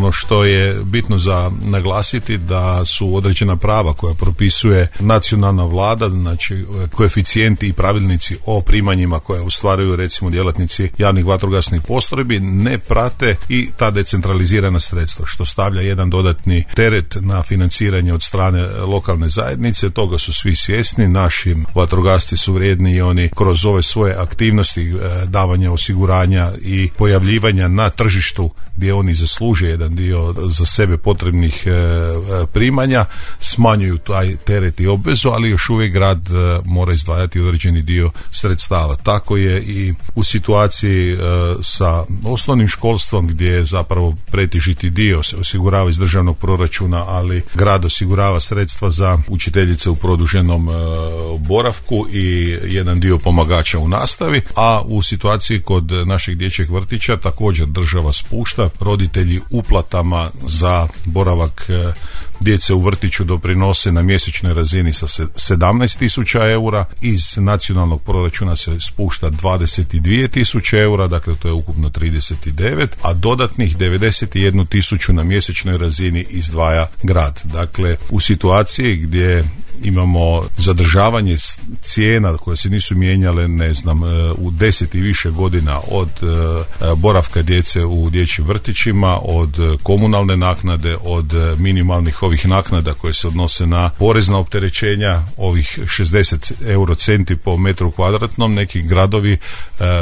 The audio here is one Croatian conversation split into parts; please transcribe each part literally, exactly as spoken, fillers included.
Ono što je bitno za naglasiti da su određena prava koja propisuje nacionalna vlada, znači koeficijenti i pravilnici o primanjima koje ostvaruju recimo djelatnici javnih vatrogasnih postrojbi ne prate i ta decentralizirana sredstva, što stavlja jedan dodatni teret na financiranje od strane lokalne zajednice. Toga su svi svjesni, naši vatrogasci su vrijedni i oni kroz ove svoje aktivnosti davanja osiguranja i pojavljivanja na tržištu gdje oni zasluže jedan dio za sebe potrebnih primanja, smanjuju taj teret i obvezu, ali još uvijek grad mora izdvajati određeni dio sredstava. Tako je i u situaciji sa osnovnim školstvom gdje je zapravo pretežiti dio se osigurava iz državnog proračuna, ali grad osigurava sredstva za učiteljice u produženom boravku i jedan dio pomagača u nastavi, a u situaciji kod našeg dječjeg vrtića također država spušta, roditelji uplatama za boravak djece u vrtiću doprinose na mjesečnoj razini sa sedamnaest tisuća eura, iz nacionalnog proračuna se spušta dvadeset dvije tisuće eura, dakle to je ukupno trideset devet, a dodatnih devedeset jednu tisuću na mjesečnoj razini izdvaja grad. Dakle, u situaciji gdje imamo zadržavanje cijena koje se nisu mijenjale, ne znam, u deset i više godina, od boravka djece u dječjim vrtićima, od komunalne naknade, od minimalnih ovih naknada koje se odnose na porezna opterećenja, ovih šezdeset euro centi po metru kvadratnom. Neki gradovi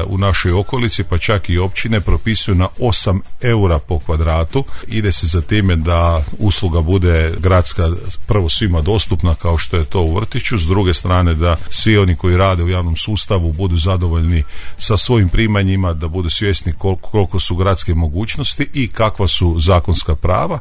u našoj okolici, pa čak i općine, propisuju na osam eura po kvadratu. Ide se za time da usluga bude gradska prvo svima dostupna kao što je to u vrtiću, s druge strane da svi oni koji rade u javnom sustavu budu zadovoljni sa svojim primanjima, da budu svjesni koliko, koliko su gradske mogućnosti i kakva su zakonska prava.